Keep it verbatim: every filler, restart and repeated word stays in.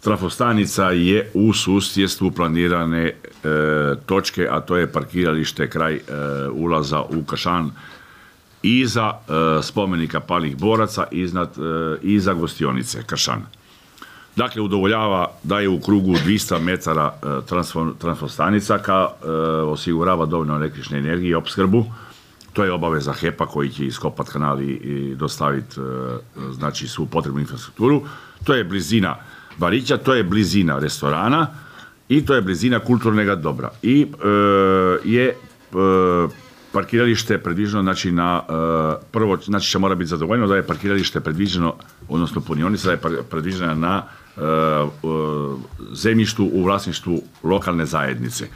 trafostanica je u susjedstvu planirane e, točke, a to je parkiralište kraj e, ulaza u Kršan iza e, spomenika palih boraca, iznad, e, iza gostionice Kršan. Dakle, udovoljava da je u krugu dvjesto metara e, trafostanica, ka e, osigurava dovoljno električne energije i opskrbu. To je obaveza H E P-a koji će iskopati kanal i, i dostaviti e, znači, svu potrebnu infrastrukturu. To je blizina barića, to je blizina restorana i to je blizina kulturnog dobra. I e, je e, parkiralište predviđeno, znači na e, prvo, znači će mora biti zadovoljeno da je parkiralište predviđeno, odnosno punionica da je predviđena na e, e, zemljištu u vlasništvu lokalne zajednice.